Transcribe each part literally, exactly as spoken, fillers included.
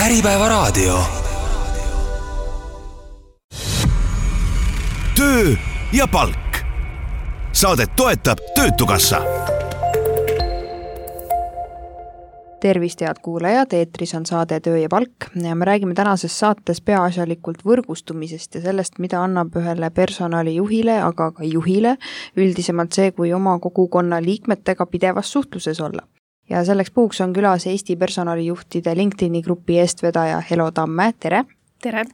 Äripäevaraadio. Töö ja palk. Saadet toetab Töötukassa. Tervist, head kuulajad, eetris on saade Töö ja palk ja me räägime tänases saates peaasjalikult võrgustumisest ja sellest, mida annab ühele personalijuhile, aga ka juhile üldisemalt see, kui oma kogukonna liikmetega pidevas suhtluses olla. Ja selleks puhuks on külas Eesti personalijuhtide LinkedIni grupi eestvedaja Helo Tamme, tere! Tere!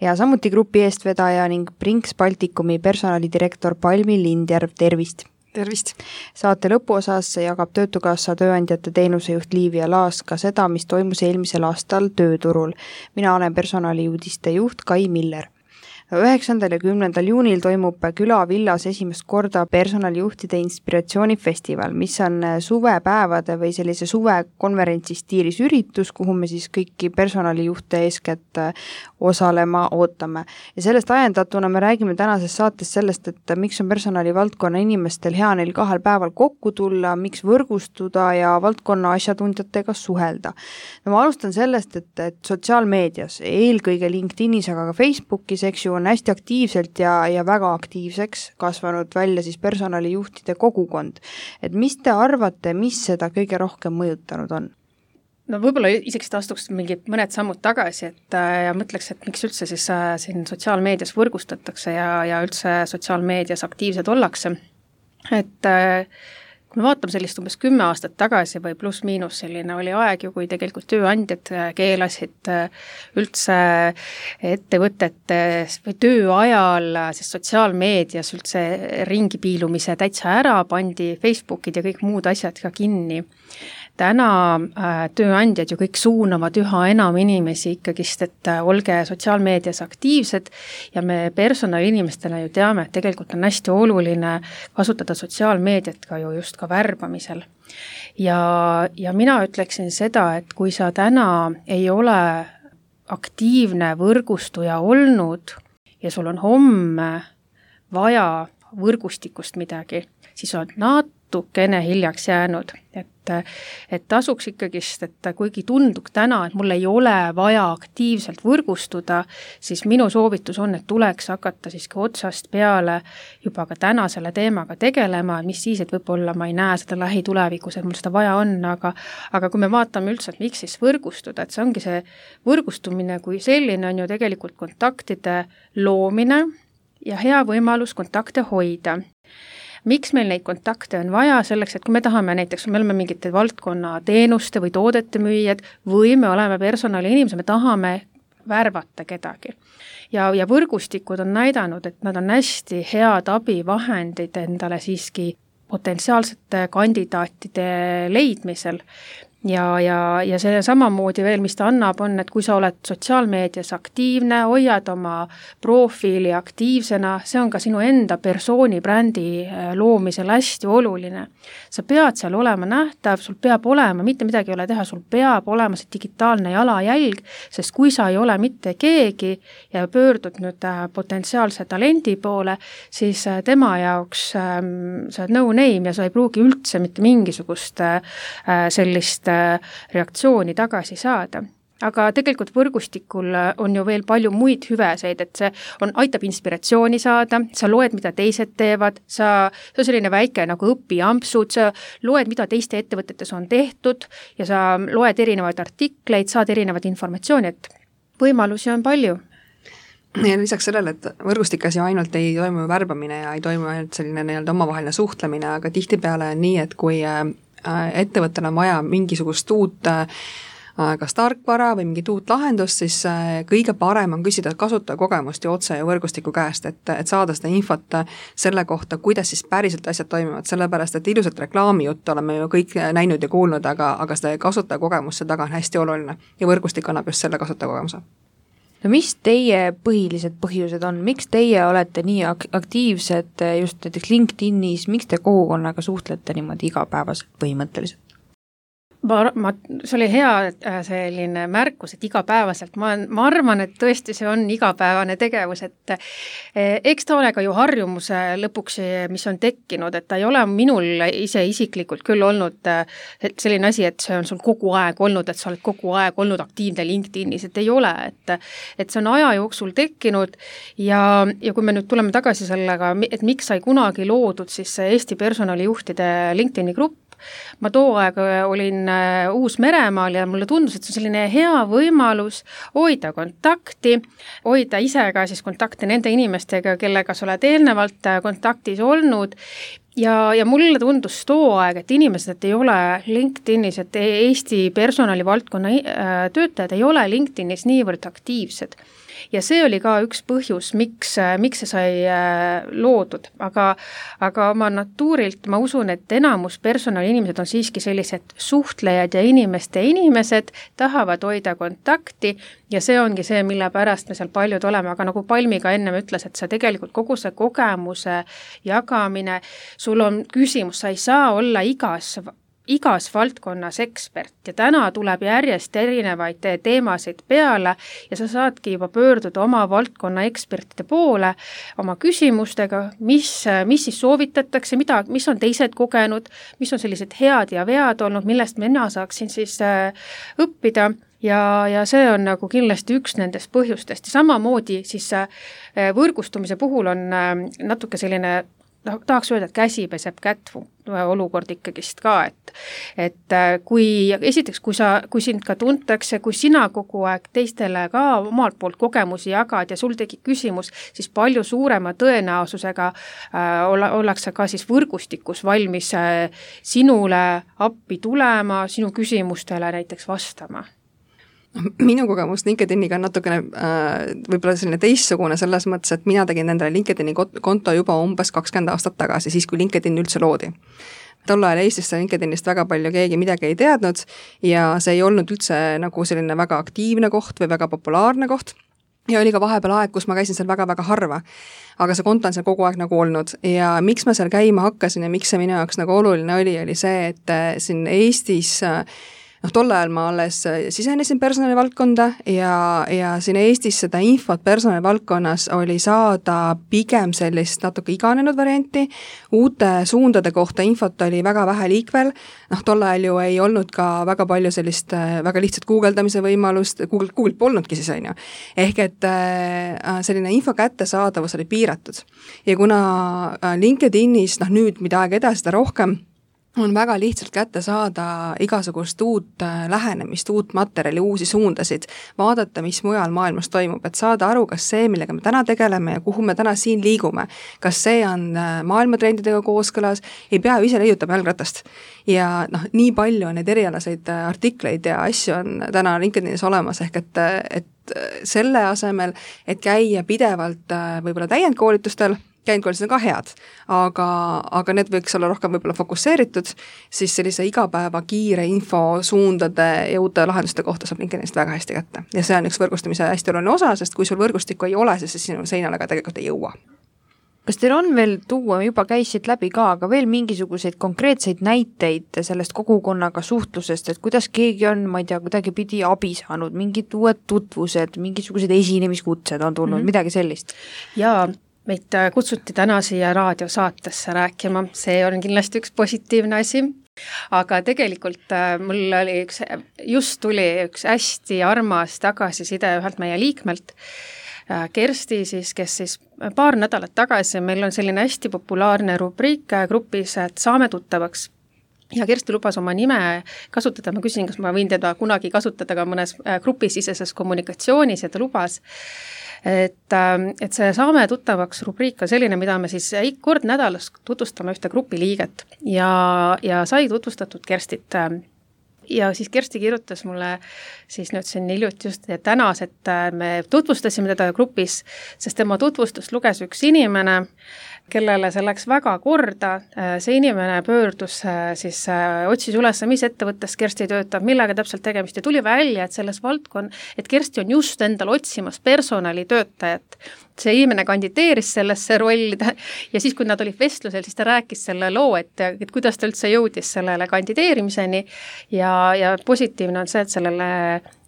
Ja samuti grupi eestvedaja ning Brinks Baltikumi personalidirektor Palmi Lindjärv, tervist! Tervist! Saate lõpuosas jagab Töötukassa tööandjate teenusejuht Liivia Laas ka seda, mis toimus eelmisel aastal tööturul. Mina olen personaliuudiste juht Kai Miller. üheksandal ja kümnendal juunil toimub Külavillas esimest korda personalijuhtide inspiratsioonifestival, mis on suvepäevade või sellise suvekonverentsi stiilis üritus, kuhu me siis kõiki personalijuhte eeskätt osalema ootame. Ja sellest ajendatuna me räägime tänases saates sellest, et miks on personalivaldkonna inimestel hea neil kahel päeval kokku tulla, miks võrgustuda ja valdkonna asjatundjatega suhelda. No ma alustan sellest, et, et sotsiaalmeedias, eelkõige LinkedInis, aga ka Facebookis, eks ju, on hästi aktiivselt ja, ja väga aktiivseks kasvanud välja siis personalijuhtide kogukond. Et mis te arvate, mis seda kõige rohkem mõjutanud on? No võib-olla isegi astuks mingi mõned sammud tagasi, et ja mõtleks, et miks üldse siis siin sotsiaalmeedias võrgustatakse ja, ja üldse sotsiaalmeedias aktiivsed ollakse. Et kui me vaatame sellist umbes kümme aastat tagasi või pluss miinus selline oli aeg ju, kui tegelikult tööandjad keelasid üldse ettevõtete või töö ajal siis sotsiaalmeedias üldse ringi piilumise täitsa ära, pandi Facebookid ja kõik muud asjad ka kinni. Täna äh, tööandjad ju kõik suunavad üha enam inimesi ikkagist, et äh, olge sotsiaalmeedias aktiivsed ja me personaliinimestena ju teame, et tegelikult on hästi oluline kasutada sotsiaalmeediat ka ju just ka värbamisel. Ja, ja mina ütleksin seda, et kui sa täna ei ole aktiivne võrgustuja olnud ja sul on homme vaja võrgustikust midagi, siis on natukene hiljaks jäänud, et, et tasuks ikkagist, et kuigi tundub täna, et mul ei ole vaja aktiivselt võrgustuda, siis minu soovitus on, et tuleks hakata siiski otsast peale juba ka täna selle teemaga tegelema, mis siis, et võib-olla ma ei näe seda lähitulevikus, et mul seda vaja on, aga, aga kui me vaatame üldse, et miks siis võrgustuda, et see ongi see võrgustumine, kui selline on ju tegelikult kontaktide loomine ja hea võimalus kontakte hoida. Miks meil neid kontakte on vaja selleks, et kui me tahame näiteks, me oleme mingite valdkonna teenuste või toodete müüjad või me oleme personali inimesed, me tahame värvata kedagi. Ja, ja võrgustikud on näidanud, et nad on hästi head abivahendid endale siiski potentsiaalsete kandidaatide leidmisel. Ja, ja, ja see samamoodi veel, mis ta annab, on, et kui sa oled sotsiaalmeedias aktiivne, hoiad oma profiili aktiivsena, see on ka sinu enda persooni brändi loomisel hästi oluline. Sa pead seal olema nähtav, sul peab olema, mitte midagi ei ole teha, sul peab olema see digitaalne jalajälg, sest kui sa ei ole mitte keegi ja pöördud nüüd potentsiaalse talendi poole, siis tema jaoks ähm, sa oled no name ja sa ei pruugi üldse mitte mingisugust äh, sellist reaktsiooni tagasi saada. Aga tegelikult võrgustikul on ju veel palju muid hüveseid, et see on, aitab inspiratsiooni saada, sa loed, mida teised teevad, sa, see on selline väike nagu õpiampsud, sa loed, mida teiste ettevõtetes on tehtud ja sa loed erinevaid artikleid, saad erinevat informatsiooni, et võimalusi on palju. Ja lisaks sellele, et võrgustikas ju ainult ei toimu värbamine ja ei toimu ainult selline nii-öelda omavaheline suhtlemine, aga tihtipeale on nii, et kui ettevõttel on vaja mingisugust uut kas tarkvara või mingit uut lahendust, siis kõige parem on küsida kasutajakogemust ja otse ja võrgustiku käest, et, et saada seda infot selle kohta, kuidas siis päriselt asjad toimivad, sellepärast et ilusat reklaamijuttu oleme ju kõik näinud ja kuulnud, aga, aga seda kasutajakogemust see taga on hästi oluline ja võrgustik annab just selle kasutajakogemuse. No mis teie põhilised põhjused on? Miks teie olete nii ak- aktiivsed just näiteks LinkedInis, miks te kogukonnaga suhtlete niimoodi igapäevaselt põhimõtteliselt? ma, ma, see oli hea selline märkus, et igapäevaselt, ma, ma arvan, et tõesti see on igapäevane tegevus, et eks ta ole ka ju harjumuse lõpuks, mis on tekkinud, et ta ei ole minul ise isiklikult küll olnud selline asi, et see on sul kogu aeg olnud, et sa oled kogu aeg olnud aktiivne LinkedInis, et ei ole, et, et see on aja jooksul tekkinud ja, ja kui me nüüd tuleme tagasi sellega, et miks sai kunagi loodud siis Eesti personalijuhtide LinkedIni grupp, ma too aeg olin Uus-Meremaal ja mulle tundus, et see on selline hea võimalus hoida kontakti, hoida ise ka siis kontakti nende inimestega, kellega sa oled eelnevalt kontaktis olnud ja, ja mulle tundus too aeg, et inimesed et ei ole LinkedInis, et Eesti personalivaldkonna töötajad ei ole LinkedInis niivõrd aktiivsed. Ja see oli ka üks põhjus, miks, miks see sai loodud, aga, aga oma natuurilt ma usun, et enamus personaliinimesed on siiski sellised suhtlejad ja inimeste inimesed, tahavad hoida kontakti ja see ongi see, mille pärast me seal paljud oleme, aga nagu Palmi ka ennem ütles, et see tegelikult kogu see kogemuse jagamine, sul on küsimus, sa ei saa olla igas igas valdkonnas ekspert ja täna tuleb järjest erinevaid teemasid peale ja sa saadki juba pöörduda oma valdkonna ekspertide poole oma küsimustega, mis, mis siis soovitatakse, mida, mis on teised kogenud, mis on sellised head ja vead olnud, millest mina saaksin siis õppida. Ja, ja see on nagu kindlasti üks nendest põhjustest ja samamoodi siis võrgustumise puhul on natuke selline noh, tahaks öelda, et käsi peseb kätt olukord ikkagist ka, et, et kui esiteks, kui, sa, kui sind ka tuntakse, kui sina kogu aeg teistele ka omalt poolt kogemusi jagad ja sul tegi küsimus, siis palju suurema tõenäosusega äh, olla, ollakse ka siis võrgustikus valmis äh, sinule appi tulema, sinu küsimustele näiteks vastama. Minu kogemus LinkedIniga on natukene äh, võib-olla selline teissugune selles mõttes, et mina tegin endale LinkedIni konto juba umbes kakskümmend aastat tagasi, siis kui LinkedIn üldse loodi. Tol ajal Eestis LinkedInist väga palju keegi midagi ei teadnud ja see ei olnud üldse nagu selline väga aktiivne koht või väga populaarne koht. Ja oli ka vahepeal aeg, kus ma käisin seal väga-väga harva, aga see konto on seal kogu aeg nagu olnud ja miks ma seal käima hakkasin ja miks see minu jaoks nagu oluline oli, oli see, et siin Eestis noh, tol ajal ma alles sisenesin personalivaldkonda ja, ja siin Eestis seda infot personalivaldkonnas oli saada pigem sellist natuke iganenud varianti, uute suundade kohta infot oli väga vähe liikvel, noh, tol ajal ju ei olnud ka väga palju sellist väga lihtsat guugeldamise võimalust, Google, Google polnudki siis on ju, ehk et selline info kättesaadavus oli piiratud ja kuna LinkedInis, noh nüüd mida aeg edasi, seda rohkem on väga lihtsalt kätte saada igasugust uut lähenemist, uut materjali, uusi suundasid, vaadata, mis mujal maailmas toimub, et saada aru, kas see, millega me täna tegeleme ja kuhu me täna siin liigume, kas see on maailmatrendidega kooskõlas, ei pea ise leiutama jalgratast. Ja noh, nii palju on neid erialaseid artikleid ja asju on täna LinkedInis olemas, ehk et, et selle asemel, et käia pidevalt võib-olla täiendkoolitustel, käindkoolitused on ka head, aga, aga need võiks olla rohkem võib-olla fokusseeritud, siis sellise igapäeva kiire info suundade ja uute lahenduste kohta saab LinkedInist väga hästi kätte. Ja see on üks võrgustamise hästi oluline osa, sest kui sul võrgustikku ei ole, siis sinu seinale ka tegelikult ei jõua. Kas teil on veel tuua, juba käisid läbi ka, aga veel mingisuguseid konkreetseid näiteid sellest kogukonnaga suhtlusest, et kuidas keegi on, ma ei tea, kuidagi pidi abi saanud, mingid uued tutvused, mingisugused esinemiskutsed on tulnud, mm-hmm. midagi sellist? Jaa, meid kutsuti täna siia raadiosaatesse rääkima, see on kindlasti üks positiivne asi, aga tegelikult mul oli üks, just tuli üks hästi armas tagasiside ühelt meie liikmelt, Kersti siis, kes siis paar nädalat tagasi, meil on selline hästi populaarne rubriik grupis, et saame tuttavaks. Ja Kersti lubas oma nime kasutada, ma küsin, kas ma võin teda kunagi kasutada ka mõnes grupisiseses kommunikatsioonis ja ta lubas. Et, et see saame tuttavaks rubriik on selline, mida me siis kord nädalas tutvustame ühte grupi liiget ja, ja sai tutvustatud Kerstit. Ja siis Kersti kirjutas mulle siis nüüd siin hiljuti just tänas, et me tutvustasime teda grupis, sest tema tutvustust luges üks inimene, kellele see läks väga korda, see inimene pöördus siis, otsis üles, mis ettevõttes Kersti töötab, millega täpselt tegemist ja tuli välja, et selles valdkon, et Kersti on just endal otsimas personalitöötajat see inimene kandideeris sellesse rolli ja siis, kui nad olid vestlusel, siis ta rääkis selle loo, et, et kuidas ta üldse jõudis sellele kandideerimiseni ja, ja positiivne on see, et sellele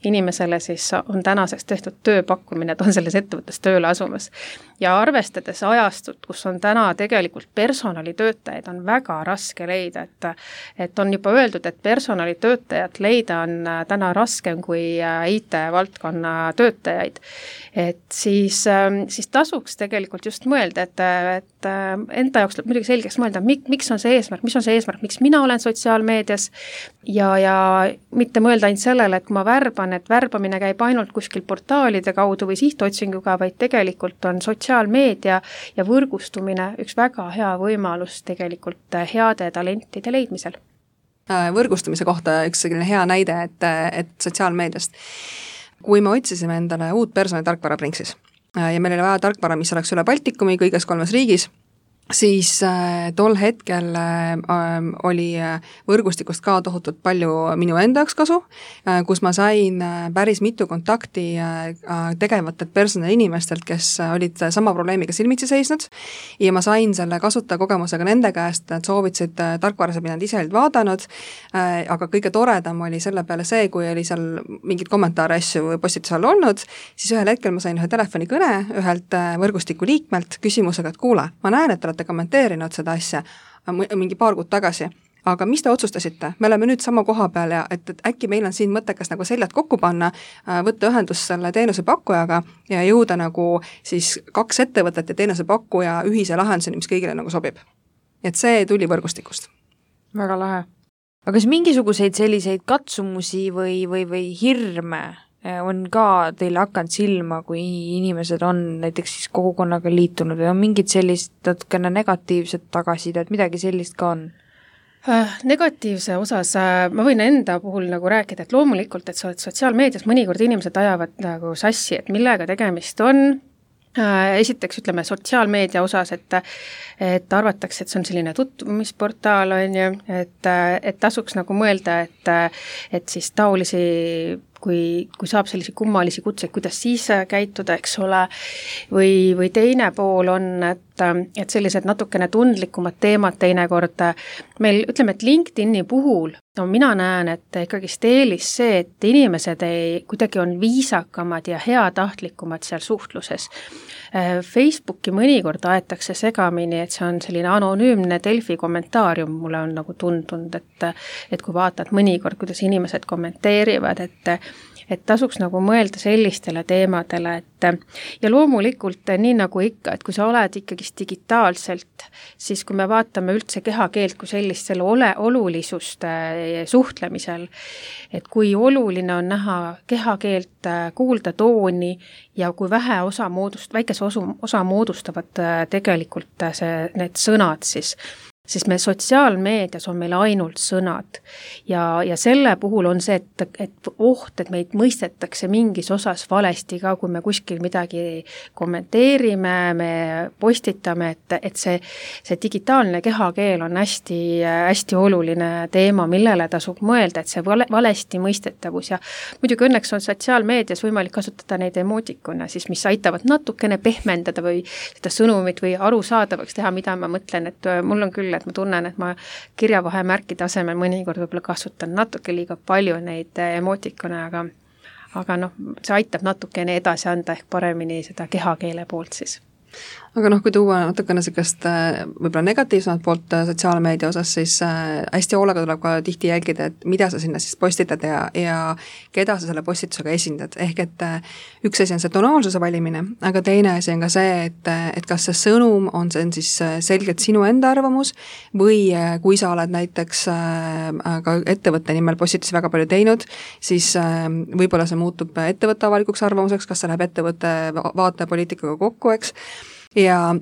inimesele siis on tänaseks tehtud tööpakkumine, et on selles ettevõttes tööle asumas. Ja arvestades ajastut, kus on täna tegelikult personalitöötajaid, on väga raske leida, et, et on juba öeldud, et personalitöötajat leida on täna raskem kui I T-valdkonna töötajaid. Et siis, siis tasuks tegelikult just mõelda, et, et enda jaoks tuleb muidugi selgeks mõelda, mik, miks on see eesmärk, mis on see eesmärk, miks mina olen sotsiaalmeedias ja, ja mitte mõelda ainult sellele, et kui ma värban, et värbamine käib ainult kuskil portaalide kaudu või sihtotsinguga, vaid tegelikult on sotsiaalmeedia ja võrgustumine üks väga hea võimalus tegelikult heade talentide leidmisel. Võrgustumise kohta üks selline hea näide, et, et sotsiaalmeediast. Kui me otsisime endale uut personalitarkvara Brinksis ja meil oli vaja tarkvara, mis oleks üle Baltikumi kõiges kolmes riigis, siis äh, tol hetkel äh, oli võrgustikust ka tohutult palju minu enda jaoks kasu, äh, kus ma sain äh, päris mitu kontakti äh, tegevatelt personaliinimestelt, kes olid sama probleemiga silmitsi seisnud ja ma sain selle kasutajakogemusega nende käest, et soovitasid äh, tarkvarasid, mida nad ise olid vaadanud, äh, aga kõige toredam oli selle peale see, kui oli seal mingid kommentaare asju või postituse all olnud, siis ühel hetkel ma sain ühe telefonikõne ühelt äh, võrgustiku liikmelt küsimusega, et kuule, ma näen, et olete kommenteerinud seda asja mingi paar kuud tagasi, aga mis te otsustasite? Me oleme nüüd sama koha peal ja et, et äkki meil on siin mõttekas nagu seljad kokku panna, võtta ühendust selle teenusepakkujaga ja jõuda nagu siis kaks ettevõtet ja teenusepakkuja ühise lahenduseni, mis kõigile nagu sobib. Et see tuli võrgustikust. Väga lahe. Aga kas mingisuguseid selliseid katsumusi või, või, või hirme on ka teile hakanud silma, kui inimesed on näiteks siis kogukonnaga liitunud või on mingid sellist natukene negatiivset tagasidet, midagi sellist ka on? Äh, negatiivse osas äh, ma võin enda puhul nagu rääkida, et loomulikult, et sa oled sotsiaalmeedias, mõnikord inimesed ajavad nagu sassi, et millega tegemist on. Äh, esiteks ütleme sotsiaalmeedia osas, et, et arvatakse, et see on selline tutvumisportaal, on ju, et, et tasuks nagu mõelda, et, et siis taolisi kui, kui saab sellisi kummalisi kutseid, kuidas siis käituda, eks ole, või, või teine pool on, et, et sellised natukene tundlikumad teemad teinekord, meil ütleme, et LinkedIni puhul, no mina näen, et ikkagist eelis see, et inimesed ei, kuidagi on viisakamad ja heatahtlikumad seal suhtluses. Facebooki mõnikord aetakse segamini, et see on selline anonüümne Delfi kommentaarium, mulle on nagu tundunud, et, et kui vaatad mõnikord, kuidas inimesed kommenteerivad, et et tasuks nagu mõelda sellistele teemadele, et ja loomulikult nii nagu ikka, et kui sa oled ikkagist digitaalselt, siis kui me vaatame üldse kehakeelt kui sellist selle ole, olulisust suhtlemisel, et kui oluline on näha kehakeelt, kuulda tooni ja kui vähe osa moodust, väikese osa, osa moodustavad tegelikult see, need sõnad siis, siis me sotsiaalmeedias on meil ainult sõnad ja, ja selle puhul on see, et, et oht, et meid mõistetakse mingis osas valesti ka, kui me kuskil midagi kommenteerime, me postitame, et, et see, see digitaalne kehakeel on hästi, hästi oluline teema, millele tasub mõelda, et see vale, valesti mõistetavus ja muidugi õnneks on sotsiaalmeedias võimalik kasutada neid emootikuna, siis mis aitavad natukene pehmendada või seda sõnumit või arusaadavaks teha, mida ma mõtlen, et mul on küll et ma tunnen, et ma kirjavahemärkide asemel mõnikord võib-olla kasutan natuke liiga palju neid emootikone, aga, aga noh, see aitab natukene edasi anda ehk paremini seda kehakeele poolt siis. Aga noh, kui tuua natukene sellist võib-olla negatiivsemat poolt sotsiaalmeedia osas, siis hästi hoolega tuleb ka tihti jälgida, et mida sa sinna siis postitad ja, ja keda sa selle postitusega esindad. Ehk et üks asi on see tonaalsuse valimine, aga teine asi on ka see, et, et kas see sõnum on, see on siis selgelt sinu enda arvamus või kui sa oled näiteks ka ettevõtte nimel postitusi väga palju teinud, siis võib-olla see muutub ettevõtte avalikuks arvamuseks, kas see läheb ettevõtte vaatepoliitikaga kokku, eks. Ja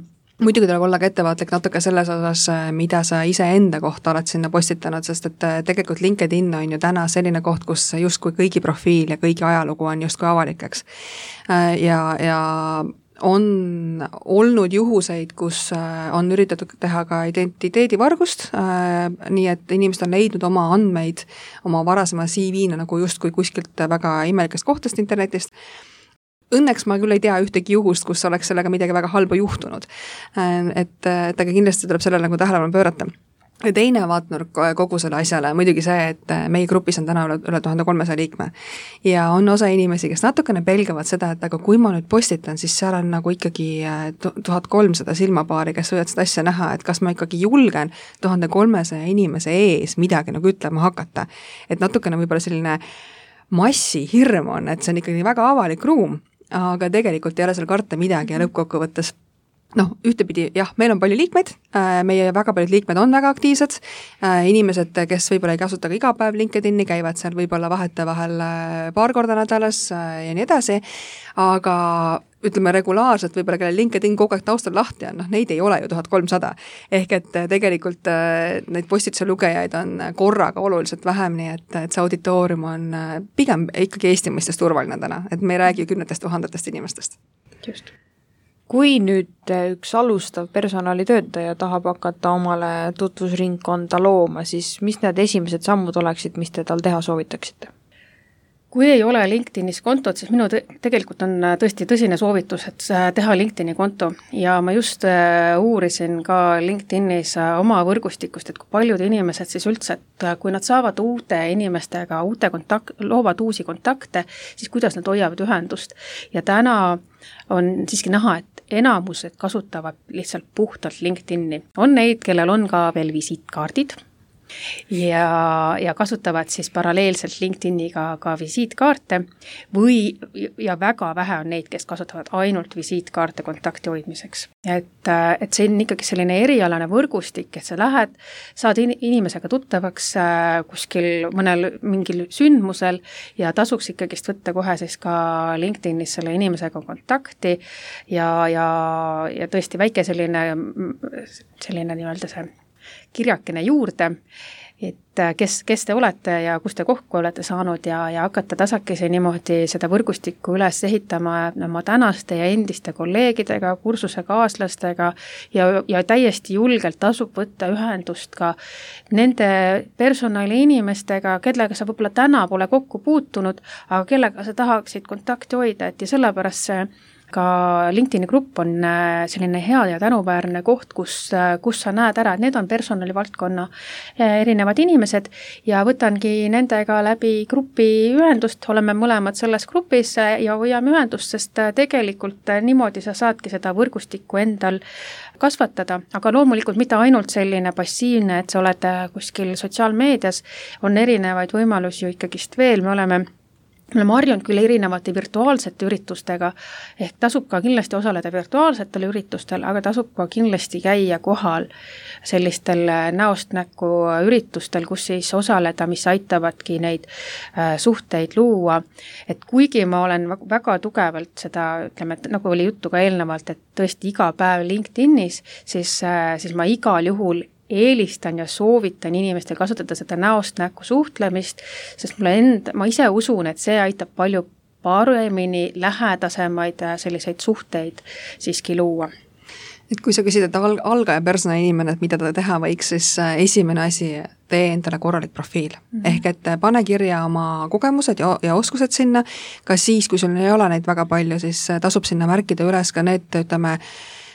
muidugi tuleb olla ka ettevaatlik natuke selles osas, mida sa ise enda kohta oled sinna postitanud, sest et tegelikult LinkedIn on ju täna selline koht, kus justkui kõigi profiil ja kõigi ajalugu on justkui avalikeks. Ja, ja on olnud juhuseid, kus on üritatud teha ka identiteedivargust, nii et inimesed on leidnud oma andmeid oma varasema C V-na nagu justkui kuskilt väga imelikest kohtast internetist. õnneks ma küll ei tea ühtegi juhust, kus oleks sellega midagi väga halba juhtunud. Et, et aga kindlasti tuleb sellele nagu tähelepanu pöörata. Ja teine vaatnurk kogu selle asjale, muidugi see, et meie grupis on täna üle, üle tuhande kolmesaja liikme ja on osa inimesi, kes natukene pelgavad seda, et aga kui ma nüüd postitan, siis seal on nagu ikkagi tuhat kolmsada silmapaari, kes võivad seda asja näha, et kas ma ikkagi julgen tuhande kolmesaja inimese ees midagi nagu ütlema hakata. Et natukene võib-olla selline massi hirm on, et see on ikkagi väga avalik ruum, aga tegelikult ei ole seal karta midagi ja lõppkokkuvõttes noh, ühtepidi jah, meil on palju liikmeid, meie väga paljud liikmed on väga aktiivsed, inimesed, kes võib-olla ei kasuta ka iga päev LinkedIni, käivad seal võib-olla vahete vahel paar korda nädalas ja nii edasi, aga ütleme regulaarselt, võib-olla kelle LinkedIn kogu aeg taustal lahti on, noh neid ei ole ju tuhat kolmsada. Ehk et tegelikult neid postituse lugejaid on korraga oluliselt vähem, nii et, et see auditoorium on pigem ikkagi Eesti mõistes turvaline täna, et me ei räägi kümnetest tuhandetest inimestest. Just. Kui nüüd üks alustav personalitöötaja tahab hakata omale tutvusringkonda looma, siis mis need esimesed sammud oleksid, mis te tal teha soovitaksite? Kui ei ole LinkedInis kontot, siis minu te- tegelikult on tõesti tõsine soovitus, et teha LinkedIni konto ja ma just uurisin ka LinkedInis oma võrgustikust, et kui paljud inimesed siis üldse, et kui nad saavad uute inimestega, uute kontakt, loovad uusi kontakte, siis kuidas nad hoiavad ühendust ja täna on siiski näha, et enamused kasutavad lihtsalt puhtalt LinkedIni. On neid, kellel on ka veel visiitkaardid ja, ja kasutavad siis paralleelselt LinkedIniga ka visiitkaarte või, ja väga vähe on neid, kes kasutavad ainult visiitkaarte kontakti hoidmiseks. Et, et see on ikkagi selline erialane võrgustik, et sa lähed, saad inimesega tuttavaks kuskil mõnel mingil sündmusel ja tasuks ikkagist võtta kohe siis ka LinkedInis selle inimesega kontakti ja, ja, ja tõesti väike selline, selline nii-öelda see kirjakene juurde, et kes, kes te olete ja kus te kokku olete saanud ja, ja hakata tasakese niimoodi seda võrgustikku üles ehitama oma tänaste ja endiste kolleegidega, kursusekaaslastega ja, ja täiesti julgelt tasub võtta ühendust ka nende personali inimestega, kellega sa võib-olla täna pole kokku puutunud, aga kellega sa tahaksid kontakti hoida, et ja sellepärast see ka LinkedIni grupp on selline hea ja tänuväärne koht, kus, kus sa näed ära, et need on personalivaldkonna erinevad inimesed ja võtangi nendega läbi grupi ühendust, oleme mõlemad selles grupis ja hoiame ühendust, sest tegelikult niimoodi sa saadki seda võrgustikku endal kasvatada, aga loomulikult mitte ainult selline passiivne, et sa oled kuskil sotsiaalmeedias, on erinevaid võimalusi ju ikkagist veel, me oleme Me oleme harjunud küll erinevate virtuaalsete üritustega, ehk tasub ka kindlasti osaleda virtuaalsetel üritustel, aga tasub ka kindlasti käia kohal sellistel näost näkku üritustel, kus siis osaleda, mis aitavadki neid suhteid luua. Et kuigi ma olen väga tugevalt seda, ütleme, et nagu oli juttu ka eelnevalt, et tõesti iga päev LinkedInis, siis, siis ma igal juhul eelistan ja soovitan inimestel kasutada seda näost näkku suhtlemist, sest mulle end, ma ise usun, et see aitab palju paremini lähedasemaid selliseid suhteid siiski luua. Et kui sa küsid, et al- algaja personali inimene, et mida ta teha võiks, siis esimene asi, tee endale korralik profiil. Mm-hmm. Ehk et pane kirja oma kogemused ja, ja oskused sinna, ka siis, kui sul ei ole neid väga palju, siis tasub sinna märkida üles ka need, ütleme,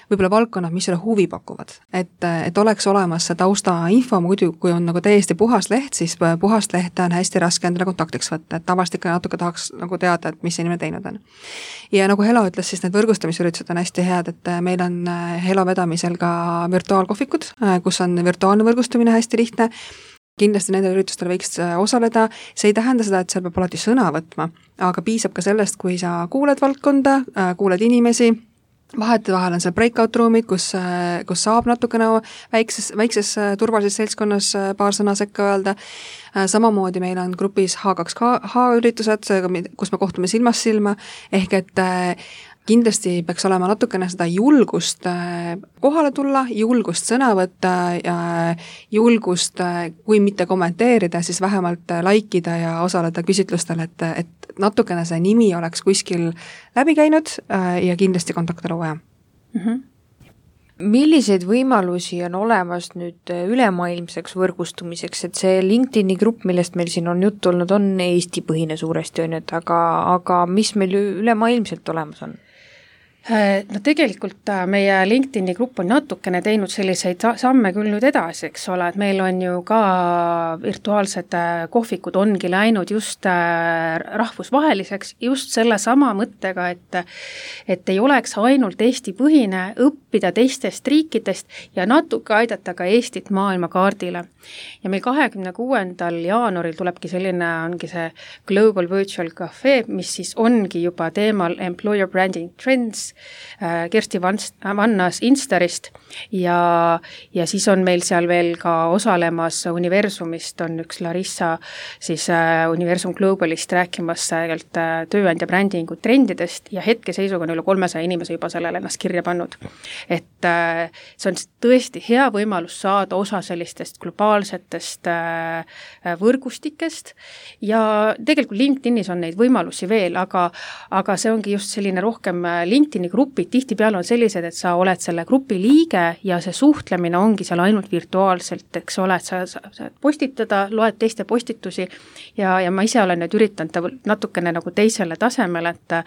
võib-olla valdkonnad, mis sulle huvi pakuvad. Et, et oleks olemas see tausta info, muidu kui on nagu täiesti puhas leht, siis puhast lehte on hästi raske endale kontaktiks võtta, et tavaliselt ikka natuke tahaks nagu teada, et mis inimene teinud on. Ja nagu Helo ütles, siis need võrgustamisüritused on hästi head, et meil on Helo vedamisel ka virtuaalkohvikud, kus on virtuaalne võrgustumine hästi lihtne. Kindlasti nendel üritustel võiks osaleda, see ei tähenda seda, et seal peab alati sõna võtma, aga piisab ka sellest, kui sa kuuled valdkonda, kuuled inimesi, vahete vahel on seal breakout ruumid, kus, kus saab natukene väikses, väikses turvalises seltskonnas paar sõna sekka öelda. Samamoodi meil on grupis H kaks H üritused, kus me kohtume silmast silma, ehk et kindlasti peaks olema natukene seda julgust kohale tulla, julgust sõna võtta ja julgust, kui mitte kommenteerida, siis vähemalt laikida ja osaleda küsitlustel, et, et natukene see nimi oleks kuskil läbi käinud ja kindlasti kontakte luua. Mm-hmm. Milliseid võimalusi on olemas nüüd ülemaailmseks võrgustumiseks, et see LinkedIni grupp, millest meil siin on juttu olnud, on Eesti põhine suuresti, on, et aga, aga mis meil ülemaailmselt olemas on? No tegelikult meie LinkedIni grupp on natukene teinud selliseid samme küll nüüd edasi, eks ole, et meil on ju ka virtuaalsed kohvikud ongi läinud just rahvusvaheliseks just selle sama mõttega, et, et ei oleks ainult Eesti põhine, õppida teistest riikidest ja natuke aidata ka Eestit maailmakaardile. Ja meil kahekümne kuuendal jaanuaril tulebki selline, ongi see Global Virtual Cafe, mis siis ongi juba teemal Employer Branding Trends, Kersti Vannas Instarist ja, ja siis on meil seal veel ka osalemas Universumist on üks Larissa siis Universum Globalist rääkimas tööandja brändingu trendidest ja hetkeseisuga on üle kolmesaja inimese juba sellele ennast kirja pannud. Et see on tõesti hea võimalus saada osa sellistest globaalsetest võrgustikest ja tegelikult LinkedInis on neid võimalusi veel, aga, aga see ongi just selline rohkem LinkedIni grupid tihtipeale on sellised, et sa oled selle grupi liige ja see suhtlemine ongi seal ainult virtuaalselt, eks ole, et sa saad postitada, loed teiste postitusi ja, ja ma ise olen nüüd üritanud natukene nagu teisele tasemele, et,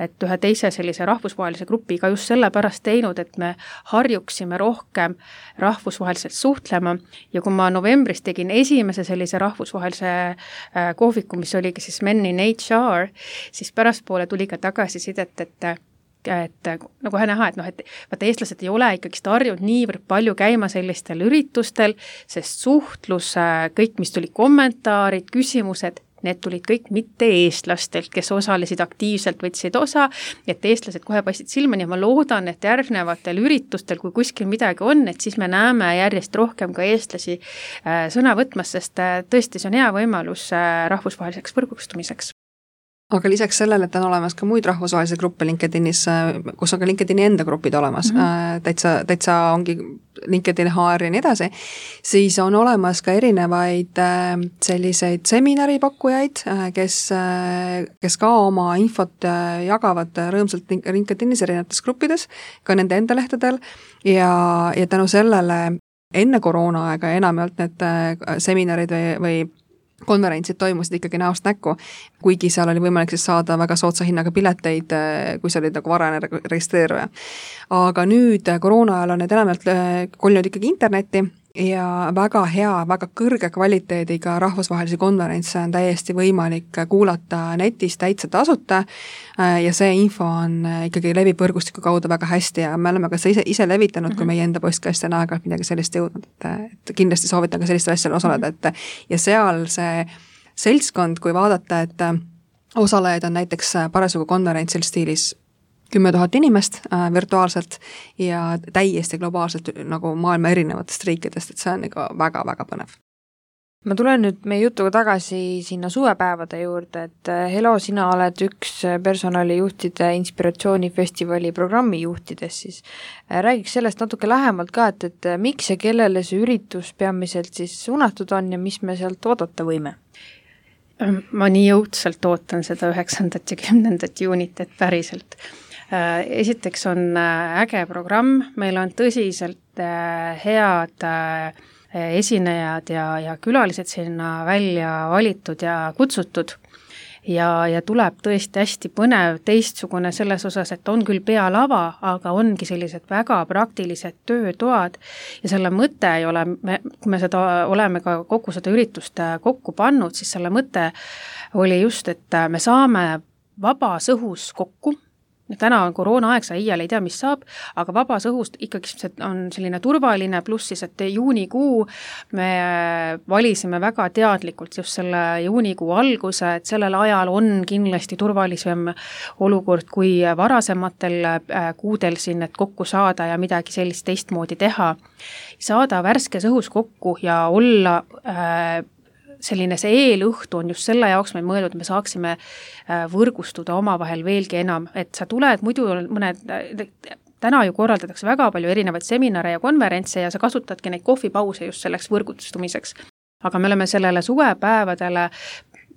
et ühe teise sellise rahvusvahelise grupiga just sellepärast teinud, et me harjuksime rohkem rahvusvaheliselt suhtlema ja kui ma novembris tegin esimese sellise rahvusvahelise kohviku, mis oligi siis Men in H R, siis pärastpoole tuli ka tagasisidet, et et nagu näha, et noh, et vaata eestlased ei ole ikkagi harjunud niivõrd palju käima sellistel üritustel, sest suhtlus, kõik, mis tuli kommentaarid, küsimused, need tulid kõik mitte eestlastelt, kes osalesid aktiivselt, võtsid osa, et eestlased kohe paistsid silma ja ma loodan, et järgnevatel üritustel, kui kuskil midagi on, et siis me näeme järjest rohkem ka eestlasi sõna võtmas, sest tõesti see on hea võimalus rahvusvaheliseks võrgustumiseks. Aga lisaks sellele, et on olemas ka muid rahvusvahelisi gruppe LinkedInis, kus on ka LinkedIni enda grupid olemas, mm-hmm. täitsa, täitsa ongi LinkedIn H R ja nii edasi, siis on olemas ka erinevaid selliseid seminaripakkujaid, kes, kes ka oma infot jagavad rõõmsalt LinkedInis erinevates gruppides, ka nende enda lehtedel ja, ja tänu sellele enne koroona aega enamjaolt need seminarid või, või konverentsid toimusid ikkagi näost näkku, kuigi seal oli võimalik siis saada väga soodsa hinnaga pileteid, kui sa olid nagu varane registreeruja. Aga nüüd koroona ajal on need enamalt kollinud ikkagi internetti ja väga hea, väga kõrge kvaliteediga rahvusvahelisi konverentse on täiesti võimalik kuulata netis täitsa tasuta ja see info on ikkagi levib võrgustiku kaudu väga hästi ja me oleme ka ise, ise levitanud, kui meie enda postkast on aeg-ajalt midagi sellist jõudnud, et, et kindlasti soovitan ka sellistel asjal osaleda, et ja seal see seltskond, kui vaadata, et osalejaid on näiteks parasjagu konverentsil stiilis kümme tuhat inimest äh, virtuaalselt ja täiesti globaalselt nagu maailma erinevatest riikidest, et see on ikka väga-väga põnev. Ma tulen nüüd meie jutuga tagasi sinna suvepäevade juurde, et Helo, sina oled üks personalijuhtide inspiratsioonifestivali programmi juhtides, siis räägiks sellest natuke lähemalt ka, et, et miks ja kellele see üritus peamiselt siis suunatud on ja mis me sealt oodata võime? Ma nii jõudsalt ootan seda üheksandat ja kümnendat juunit, et päriselt. Esiteks on äge programm, meil on tõsiselt head esinejad ja, ja külalised sinna välja valitud ja kutsutud ja, ja tuleb tõesti hästi põnev teistsugune selles osas, et on küll pealava, aga ongi sellised väga praktilised töötoad ja selle mõte ei ole, me, kui me seda oleme ka kogu seda üritust kokku pannud, siis selle mõte oli just, et me saame vabas õhus kokku. Täna on koroona aeg, sa iial ei tea, mis saab, aga vabas õhust ikkagi on selline turvaline, pluss siis, et juunikuu me valisime väga teadlikult just selle juunikuu alguse, et sellel ajal on kindlasti turvalisem olukord kui varasematel kuudel siin, et kokku saada ja midagi sellist teistmoodi teha. Saada värskes õhus kokku ja olla äh, selline see eelõhtu on just selle jaoks meil mõeldud, et me saaksime võrgustuda omavahel veelgi enam, et sa tuled muidu mõned, täna ju korraldatakse väga palju erinevaid seminare ja konverentse ja sa kasutadki neid kohvipause just selleks võrgustumiseks. Aga me oleme sellele suvepäevadele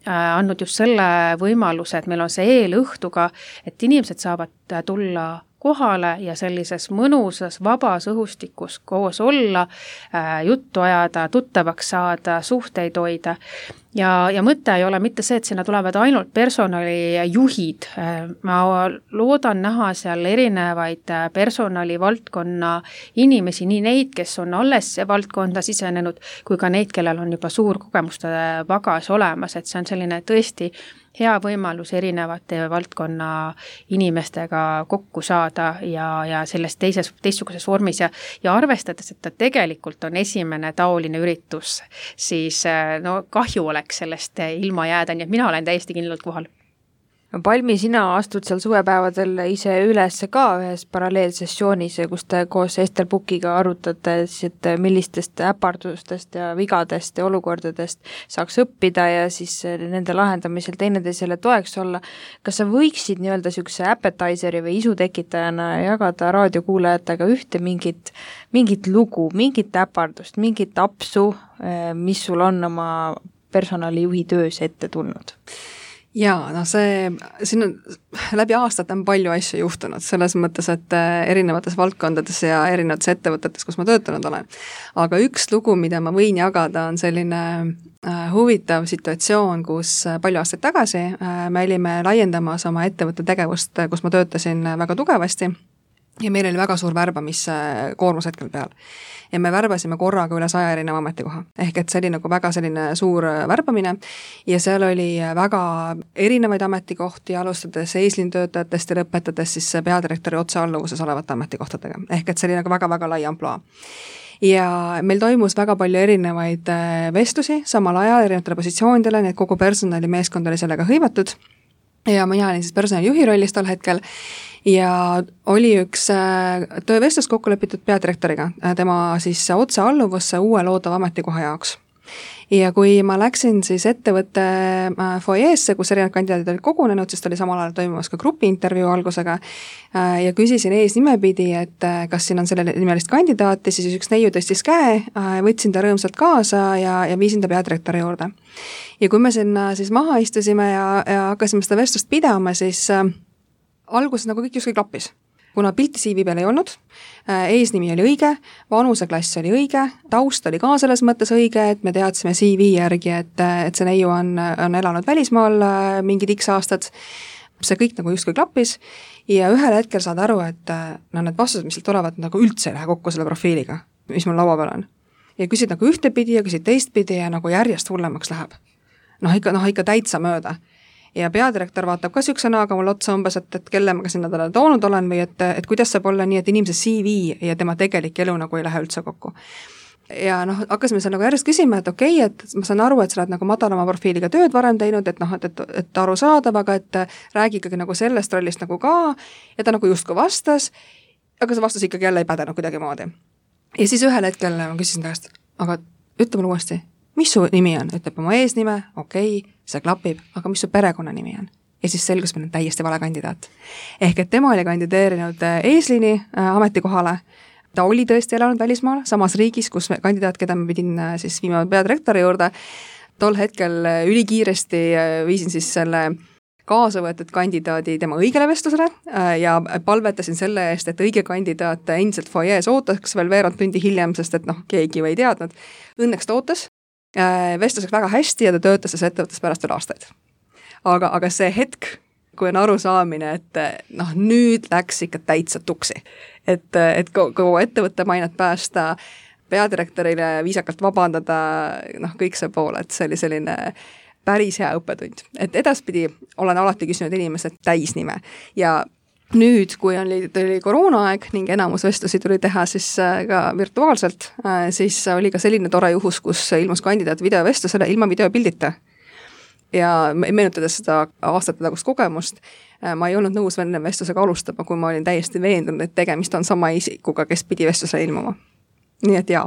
andnud just selle võimaluse, et meil on see eelõhtuga, et inimesed saavad tulla kohale ja sellises mõnusas, vabas õhustikus koos olla, juttu ajada, tuttavaks saada, suhteid hoida. Ja, ja mõte ei ole mitte see, et sinna tulevad ainult personalijuhid. Ma loodan näha seal erinevaid personalivaldkonna inimesi, nii neid, kes on alles valdkonda sisenenud, kui ka neid, kellel on juba suur kogemuste pagas olemas, et see on selline tõesti hea võimalus erinevate valdkonna inimestega kokku saada ja, ja selles teises, teistsuguses vormis ja, ja arvestades, et ta tegelikult on esimene taoline üritus, siis no kahju oleks sellest ilma jääda, nii et mina olen täiesti kindlalt kohal. Palmi, sina astud seal suvepäevadel ise üles ka ühes paralleelsessioonis, kus te koos Ester Pukiga arutate, et millistest äpardustest ja vigadest ja olukordadest saaks õppida ja siis nende lahendamisel teineteisele toeks olla. Kas sa võiksid nii-öelda sükse appetizeri või isutekitajana jagada raadiokuulajatega ühte mingit, mingit lugu, mingit äpardust, mingit apsu, mis sul on oma personalijuhi töös ette tulnud? Jaa, no see, siin on läbi aastat on palju asju juhtunud, selles mõttes, et erinevates valdkondades ja erinevates ettevõtetes, kus ma töötanud olen. Aga üks lugu, mida ma võin jagada, on selline huvitav situatsioon, kus palju aastaid tagasi me olime laiendamas oma ettevõtte tegevust, kus ma töötasin väga tugevasti ja meil oli väga suur värbamiskoormus hetkel peal. Ja me värbasime korraga üle saja erineva ametikoha. Ehk et see oli nagu väga selline suur värbamine ja seal oli väga erinevaid ametikohti, alustades eeslintöötajatest ja lõpetades siis peadirektori otsealluvuses olevate ametikohtadega. Ehk et see oli nagu väga-väga lai amploa. Ja meil toimus väga palju erinevaid vestlusi samal ajal erinevatele positsioonidele, nii et kogu personalimeeskond oli sellega hõivatud ja mina olin siis personalijuhi rollis tol hetkel ja oli üks töövestlus kokku lepitud peadirektoriga, tema siis otse alluvusse uue loodava ametikoha jaoks. Ja kui ma läksin siis ettevõtte foyeesse, kus erinevad kandidaadid olid kogunenud, siis oli samal ajal toimumas ka grupi intervjuu algusega ja küsisin ees nimepidi, et kas siin on selle nimelist kandidaati, siis üks neiu tõstis käe, võtsin ta rõõmsalt kaasa ja, ja viisin ta peadirektori juurde. Ja kui me sinna siis maha istusime ja, ja hakkasime seda vestlust pidama, siis alguses nagu kõik justkui klappis. Kuna pilti C V peal ei olnud, eesnimi oli õige, vanuseklass oli õige, taust oli ka selles mõttes õige, et me teadsime C V järgi, et, et see neiu on, on elanud välismaal mingid X aastad. See kõik nagu justkui klappis ja ühel hetkel saad aru, et no, need vastused, mis tulevad, nagu üldse ei lähe kokku selle profiiliga, mis mul laua peal on. Ja küsid nagu ühtepidi ja küsid teistpidi ja nagu järjest hullemaks läheb. Noh, ikka, noh, ikka täitsa mööda. Ja peadirektor vaatab ka sükse näoga mul otsa umbes, et, et kelle ma ka sinna talle toonud olen või et, et kuidas saab olla nii, et inimese C V ja tema tegelik elu nagu ei lähe üldse kokku. Ja noh, hakkasime seal nagu järjest küsima, et okei, okay, et ma saan aru, et sa oled nagu madalama profiiliga tööd varem teinud, et noh, et, et, et aru saadav, aga et räägi ikkagi nagu sellest rollist nagu ka ja ta nagu justkui vastas, aga see vastus ikkagi jälle ei pädenud kuidagi moodi. Ja siis ühel hetkel ma küsisin taast, aga ütle mulle uuesti, mis su nimi on? Ütleb oma eesnime, okei, okay, see klapib, aga mis su perekonna nimi on? Ja siis selgus meil on täiesti vale kandidaat. Ehk et tema oli kandideerinud eesliini ametikohale, ta oli tõesti elanud välismaal, samas riigis, kus kandidaat, keda ma pidin siis viima peadirektori juurde, tol hetkel ülikiiresti viisin siis selle kaasa võetud kandidaadi tema õigele vestlusele ja palvetasin selle eest, et õige kandidaat endiselt foyees ootaks veel veerand tundi hiljem, sest et noh, keegi ei teadnud. Õnneks ta ootas, vestluseks väga hästi ja ta töötas selles ettevõttes pärast veel aastaid. Aga, aga see hetk, kui on aru saamine, et noh, nüüd läks ikka täitsa tuksi. Et, et kogu ettevõtte mainet päästa, peadirektorile viisakalt vabandada, noh, kõik see pool, et see oli selline päris hea õppetund. Et edaspidi olen alati küsinud inimesed täisnime ja nüüd, kui oli, oli koroonaaeg ning enamus vestlusi tuli teha siis ka virtuaalselt, siis oli ka selline tore juhus, kus ilmus kandidaat videovestlusele ilma videopildita. Ja meenutades seda aastate tagust kogemust, ma ei olnud nõus enne vestlusega alustama, kui ma olin täiesti veendunud, et tegemist on sama isikuga, kes pidi vestlusele ilmuma. Nii et jaa,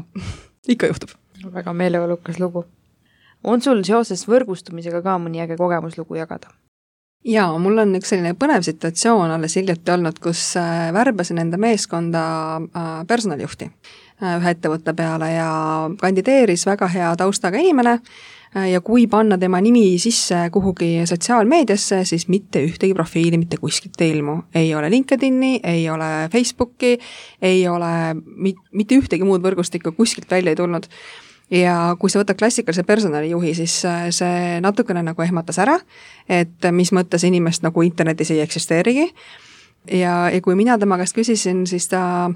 ikka juhtub. Väga meeleolukas lugu. On sul seoses võrgustumisega ka mõni äge kogemuslugu jagada? Jaa, mul on üks selline põnev situatsioon alles hiljuti olnud, kus värbasin enda meeskonda personalijuhti ühe ettevõtte peale ja kandideeris väga hea taustaga inimene, ja kui panna tema nimi sisse kuhugi sotsiaalmeediasse, siis mitte ühtegi profiili mitte kuskilt ei ilmu. Ei ole LinkedIni, ei ole Facebooki, ei ole mit, mitte ühtegi muud võrgustikku kuskilt välja ei tulnud. Ja kui sa võtad klassikalise personalijuhi, siis see natukene nagu ehmatas ära, et mis mõttes inimest nagu internetis ei eksisteerigi. Ja, ja kui mina tema käest küsisin, siis ta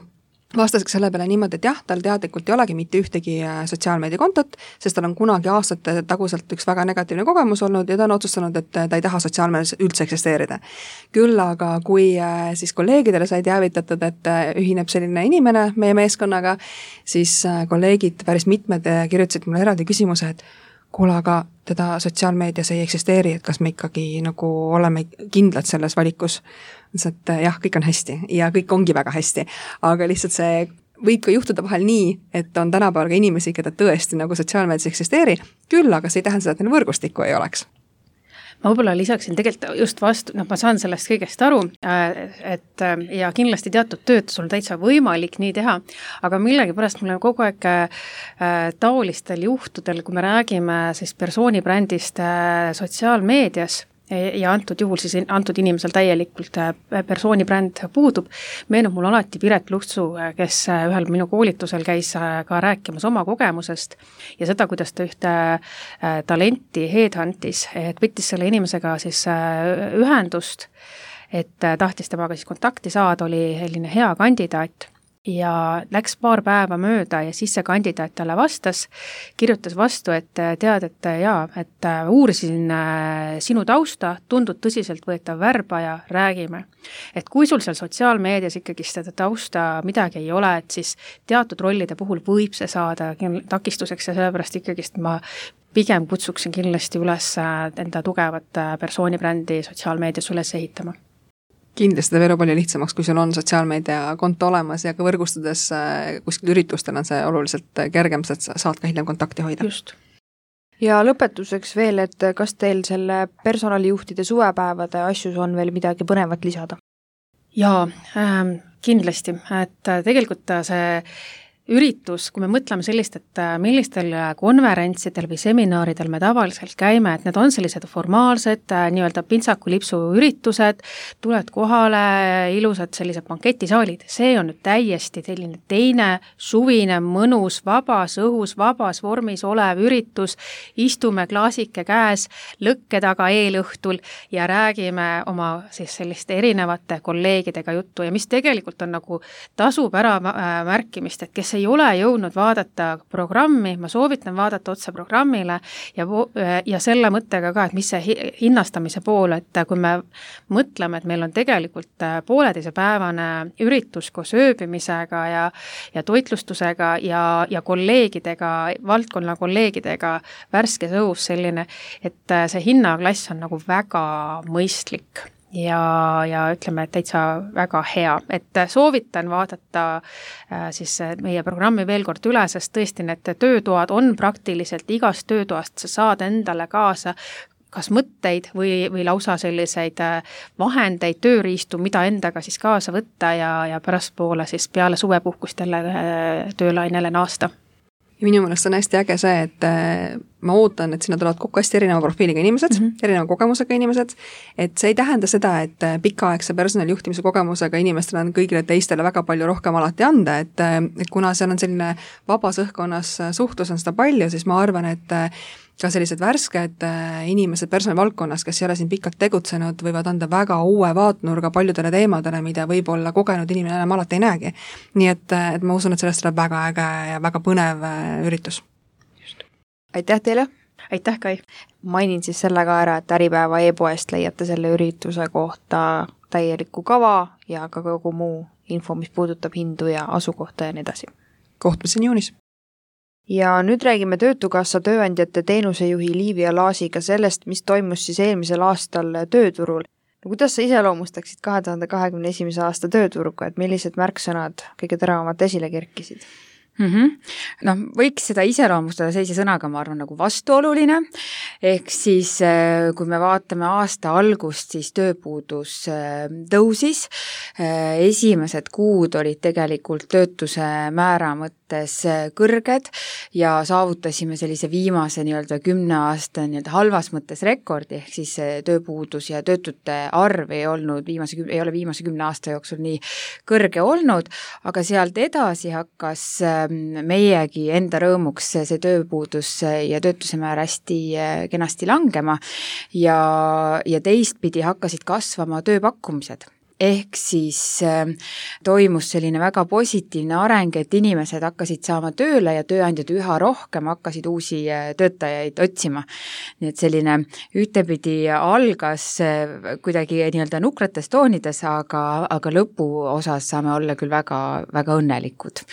vastaski selle peale niimoodi, et jah, tal teadlikult ei olegi mitte ühtegi sotsiaalmeediakontot, sest tal on kunagi aastate taguselt üks väga negatiivne kogemus olnud ja ta on otsustanud, et ta ei taha sotsiaalmeedias üldse eksisteerida. Küll aga kui siis kolleegidele sai teavitatud, et ühineb selline inimene meie meeskonnaga, siis kolleegid päris mitmed kirjutasid mulle eraldi küsimuse, et kuule, aga teda sotsiaalmeedias ei eksisteeri, et kas me ikkagi nagu oleme kindlad selles valikus. Et jah, kõik on hästi ja kõik ongi väga hästi, aga lihtsalt see võib ka juhtuda vahel nii, et on tänapäeval ka inimesi, keda tõesti nagu sotsiaalmeedias eksisteeri, küll aga see ei tähenda seda, et neil võrgustikku ei oleks. Ma võib-olla lisaksin tegelikult just vastu, noh, ma saan sellest kõigest aru, et ja kindlasti teatud tööd sul täitsa võimalik nii teha, aga millegipärast mul on kogu aeg taolistel juhtudel, kui me räägime siis persoonibrändist sotsiaalmeedias, ja antud juhul siis antud inimesel täielikult persoonibränd puudub. Meenub mul alati Piret Luhtsu, kes ühel minu koolitusel käis ka rääkimas oma kogemusest ja seda, kuidas ta ühte talenti headhuntis, et võttis selle inimesega siis ühendust, et tahtis temaga siis kontakti saada, oli selline hea kandidaat. Ja läks paar päeva mööda ja siis see kandidaat talle vastas, kirjutas vastu, et tead, et jaa, et uurisin sinu tausta, tundud tõsiselt võetav värbaja, räägime. Et kui sul seal sotsiaalmeedias ikkagi seda tausta midagi ei ole, et siis teatud rollide puhul võib see saada takistuseks ja sellepärast ikkagi ma pigem kutsuksin kindlasti üles enda tugevat persoonibrändi sotsiaalmeedias üles ehitama. Kindlasti ta veel palju lihtsamaks, kui sul on sotsiaalmeedia konto olemas ja ka võrgustudes kuskil üritustel on see oluliselt kergem, sest saad ka hiljem kontakti hoida. Just. Ja lõpetuseks veel, et kas teil selle personalijuhtide suvepäevade asjus on veel midagi põnevat lisada? Jaa, äh, kindlasti, et tegelikult see üritus, kui me mõtleme sellist, et millistel konverentsidel või seminaaridel me tavaliselt käime, et need on sellised formaalsed, nii-öelda pintsakulipsu üritused, tuled kohale, ilusad sellised banketisaalid, see on nüüd täiesti selline teine suvine, mõnus, vabas õhus, vabas vormis olev üritus, istume klaasike käes, lõkke taga eelõhtul ja räägime oma siis selliste erinevate kolleegidega juttu ja mis tegelikult on nagu tasub ära märkimist, et kes ei ole jõudnud vaadata programmi, ma soovitan vaadata otsa programmile ja, ja selle mõttega ka, et mis see hinnastamise pool, et kui me mõtleme, et meil on tegelikult pooleteisepäevane üritus koos ööbimisega ja, ja toitlustusega ja, ja kolleegidega, valdkonna kolleegidega värskes õhus selline, et see hinnaklass on nagu väga mõistlik. Ja, ja ütleme, et täitsa väga hea, et soovitan vaadata äh, siis meie programmi veel kord üle, sest tõesti need töötoad on praktiliselt igast töötoast, sa saad endale kaasa kas mõtteid või, või lausa selliseid vahendeid, tööriistu, mida endaga siis kaasa võtta ja, ja pärast poole siis peale suvepuhkust jälle töölainele naasta. Ja minu meelest on hästi äge see, et ma ootan, et sinna tulevad kokku hästi erineva profiiliga inimesed, mm -hmm. erineva kogemusega inimesed, et see ei tähenda seda, et pikaaegse personalijuhtimise kogemusega inimestel on kõigile teistele väga palju rohkem alati anda, et, et kuna seal on selline vabas õhkkonnas suhtlus on seda palju, siis ma arvan, et ka sellised värsked inimesed personalivaldkonnas, kes ei ole siin pikalt tegutsenud, võivad anda väga uue vaatnurga paljudele teemadele, mida võib-olla kogenud inimene enam alati ei näegi. Nii et, et ma usun, et sellest tuleb väga äge ja väga põnev üritus. Just. Aitäh teile! Aitäh, Kai! Mainin siis selle ka ära, et Äripäeva e-poest leiate selle ürituse kohta täieliku kava ja ka kogu muu info, mis puudutab hindu ja asukohta ja nii edasi. Kohtumiseni juunis! Ja nüüd räägime Töötukassa tööandjate teenusejuhi Liivia Laasiga sellest, mis toimus siis eelmisel aastal tööturul. No, kuidas sa iseloomustaksid kahe tuhande kahekümne esimese aasta tööturgu, et millised märksõnad kõige teravamalt esile kerkisid? Mm-hmm. noh, võiks seda iseloomustada sellise sõnaga, ma arvan, nagu vastuoluline, ehk siis kui me vaatame aasta algust, siis tööpuudus tõusis, esimesed kuud olid tegelikult töötuse määra mõttes kõrged ja saavutasime sellise viimase nii-öelda kümne aasta nii-öelda halvas mõttes rekordi, ehk siis tööpuudus ja töötute arv ei olnud viimase, ei ole viimase kümne aasta jooksul nii kõrge olnud, aga sealt edasi hakkas meiegi enda rõõmuks see tööpuudus ja töötuse määr hästi kenasti langema ja, ja teistpidi hakkasid kasvama tööpakkumised. Ehk siis äh, toimus selline väga positiivne areng, et inimesed hakkasid saama tööle ja tööandjad üha rohkem hakkasid uusi äh, töötajaid otsima. Nii et selline ühtepidi algas äh, kuidagi nii-öelda nukrates toonides, aga, aga lõpu osas saame olla küll väga, väga õnnelikud,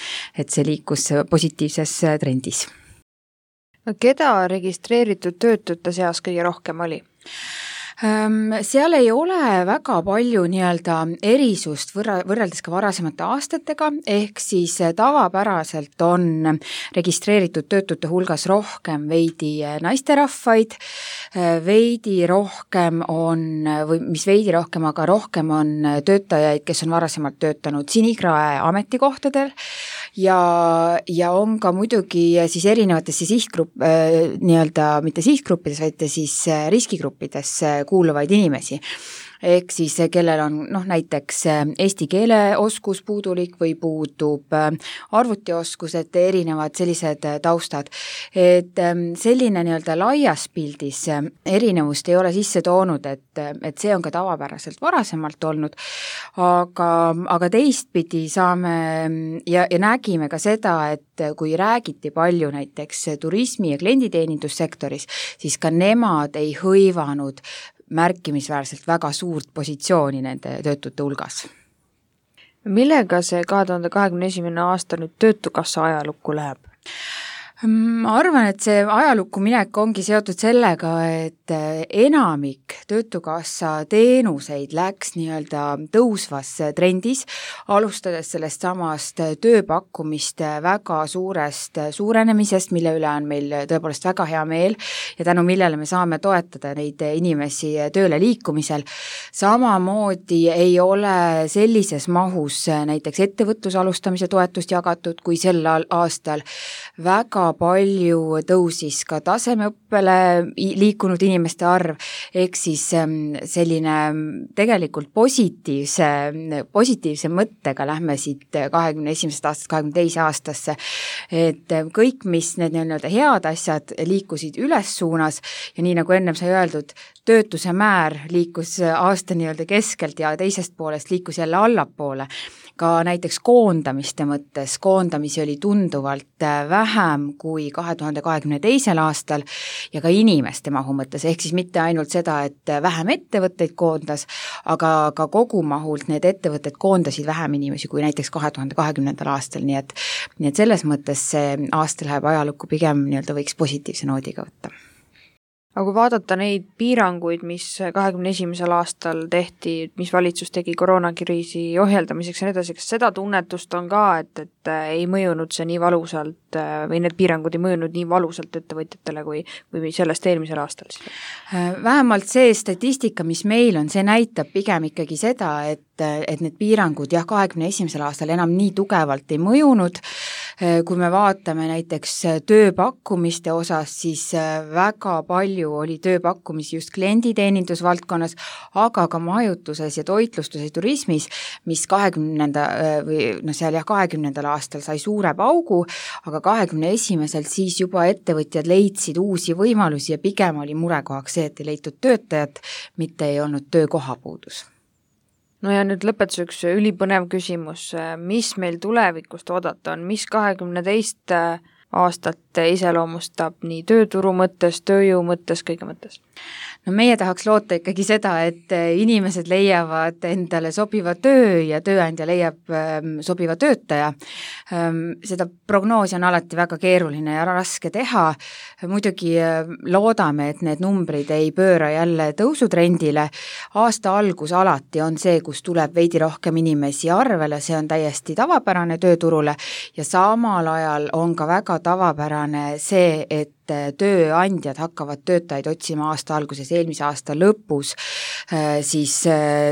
et see liikus positiivses trendis. Keda registreeritud töötute seas kõige rohkem oli? Seal ei ole väga palju nii-öelda erisust võrra, võrreldes ka varasemate aastatega, ehk siis tavapäraselt on registreeritud töötute hulgas rohkem veidi naisterahvaid, veidi rohkem on, või mis veidi rohkem, aga rohkem on töötajaid, kes on varasemalt töötanud sinikrae ametikohtadel ja, ja on ka muidugi siis erinevatesse sihtgrupp, nii-öelda mitte sihtgruppides, vaid siis riskigruppides kuuluvaid inimesi. Ehk siis kellel on noh, näiteks eesti keele oskus puudulik või puudub arvutioskus, et erinevad sellised taustad. Et selline nii-öelda laias pildis erinevust ei ole sisse toonud, et, et see on ka tavapäraselt varasemalt olnud, aga, aga teistpidi saame ja, ja nägime ka seda, et kui räägiti palju näiteks turismi- ja klienditeenindussektoris, siis ka nemad ei hõivanud märkimisväärselt väga suurt positsiooni nende töötute hulgas. Millega see kahe tuhande kahekümne esimene aasta nüüd töötukassa ajalukku läheb? Ma arvan, et see ajalukku minek ongi seotud sellega, et enamik töötukassa teenuseid läks nii-öelda tõusvas trendis, alustades sellest samast tööpakkumist väga suurest suurenemisest, mille üle on meil tõepoolest väga hea meel ja tänu millele me saame toetada neid inimesi tööle liikumisel. Samamoodi ei ole sellises mahus näiteks ettevõtluse alustamise toetust jagatud, kui sel aastal väga palju tõusis ka tasemeõppele liikunud inimeste arv, ehk siis selline tegelikult positiivse, positiivse mõttega lähme siit kahekümne esimesest aastast kahekümne teise aastasse, et kõik, mis need nii-öelda head asjad liikusid üles suunas ja nii nagu ennem sai öeldud, töötuse määr liikus aasta nii-öelda keskelt ja teisest poolest liikus jälle allapoole. Ka näiteks koondamiste mõttes, koondamisi oli tunduvalt vähem kui kahe tuhande kahekümne teisel aastal ja ka inimeste mahu mõttes, ehk siis mitte ainult seda, et vähem ettevõtteid koondas, aga ka kogumahult need ettevõtted koondasid vähem inimesi kui näiteks kahe tuhande kahekümnendal aastal, nii et, nii et selles mõttes see aasta läheb ajalukku pigem nii-öelda võiks positiivse noodiga võtta. Aga kui vaadata neid piiranguid, mis kahekümne esimesel aastal tehti, mis valitsus tegi koroonakriisi ohjeldamiseks ja nii edasi, kas seda tunnetust on ka, et, et ei mõjunud see nii valusalt või need piirangud ei mõjunud nii valusalt ettevõtjatele kui, või sellest eelmisel aastal? Vähemalt see statistika, mis meil on, see näitab pigem ikkagi seda, et, et need piirangud jah, kahekümne esimesel aastal enam nii tugevalt ei mõjunud. Kui me vaatame näiteks tööpakkumiste osas, siis väga palju oli tööpakkumisi just klienditeenindusvaldkonnas, aga ka majutuses ja toitlustuses ja turismis, mis kahekümnenda või no seal jah, kahekümnendal aastal sai suure paugu, aga kahekümne esimesel siis juba ettevõtjad leidsid uusi võimalusi ja pigem oli murekohaks see, et ei leitud töötajat, mitte ei olnud töökohapuudus. No ja nüüd lõpetuseks ülipõnev küsimus, mis meil tulevikust oodata on, mis kahekümne teist aastat iseloomustab nii tööturu mõttes, tööjõu mõttes, kõige mõttes? no meie tahaks loota ikkagi seda, et inimesed leiavad endale sobiva töö ja tööandja leiab ähm, sobiva töötaja. Ähm, seda prognoosi on alati väga keeruline ja raske teha. Muidugi äh, loodame, et need numbrid ei pööra jälle tõusutrendile. Aasta algus alati on see, kus tuleb veidi rohkem inimesi arvele, see on täiesti tavapärane tööturule ja samal ajal on ka väga tavapärane see, et tööandjad hakkavad töötajaid otsima aasta alguses, eelmise aasta lõpus, siis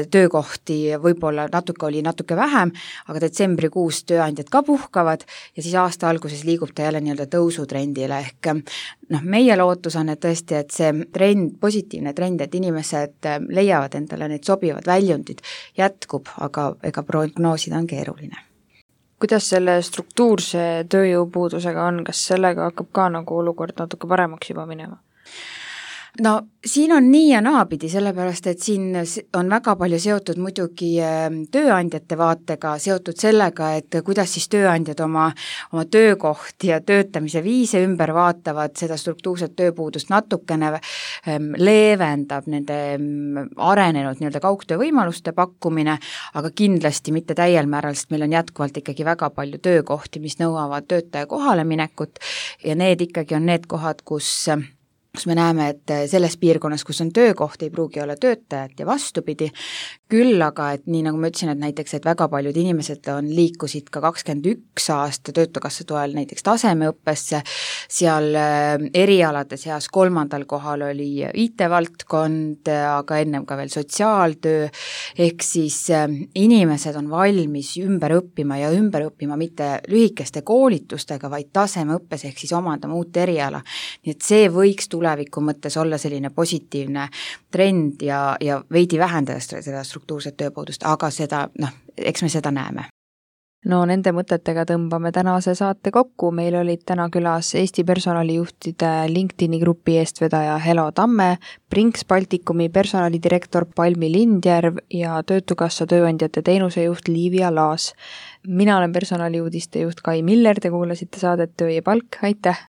töökohti võib-olla natuke oli natuke vähem, aga detsembrikuus tööandjad ka puhkavad ja siis aasta alguses liigub ta jälle nii-öelda tõusutrendile ehk noh, meie lootus on, et tõesti, et see trend, positiivne trend, et inimesed leiavad endale need sobivad väljundid, jätkub, aga ega prognoosida on keeruline. Kuidas selle struktuurse tööjõupuudusega on, kas sellega hakkab ka nagu olukord natuke paremaks juba minema? No siin on nii ja naapidi, sellepärast et siin on väga palju seotud muidugi tööandjate vaatega, seotud sellega, et kuidas siis tööandjad oma, oma töökohti ja töötamise viise ümber vaatavad, seda struktuurset tööpuudust natukene leevendab nende arenenud nii-öelda kaugtöö võimaluste pakkumine, aga kindlasti mitte täiel määral, sest meil on jätkuvalt ikkagi väga palju töökohti, mis nõuavad töötaja kohale minekut ja need ikkagi on need kohad, kus kus me näeme, et selles piirkonnas, kus on töökoht, ei pruugi olla töötajat ja vastupidi, küll aga, et nii nagu ma ütlesin, et näiteks, et väga paljud inimesed on liikusid ka kakskümmend üks aasta Töötukassa toel näiteks tasemeõppesse, seal erialade seas kolmandal kohal oli I T-valdkond, aga ennem ka veel sotsiaaltöö, ehk siis inimesed on valmis ümber õppima ja ümber õppima mitte lühikeste koolitustega, vaid tasemeõppes ehk siis omandama uut eriala. Nii et see võiks tuleviku mõttes olla selline positiivne trend ja, ja veidi vähendada seda struktuurset tööpuudust, aga seda, noh, eks me seda näeme. No nende mõtetega tõmbame tänase saate kokku. Meil olid täna külas Eesti personalijuhtide LinkedIni grupi eestvedaja Helo Tamme, Brinks Baltikumi personalidirektor Palmi Lindjärv ja Töötukassa tööandjate teenusejuht Liivia Laas. Mina olen personaliuudiste juht Kai Miller, te kuulasite saadet Töö ja palk, aitäh!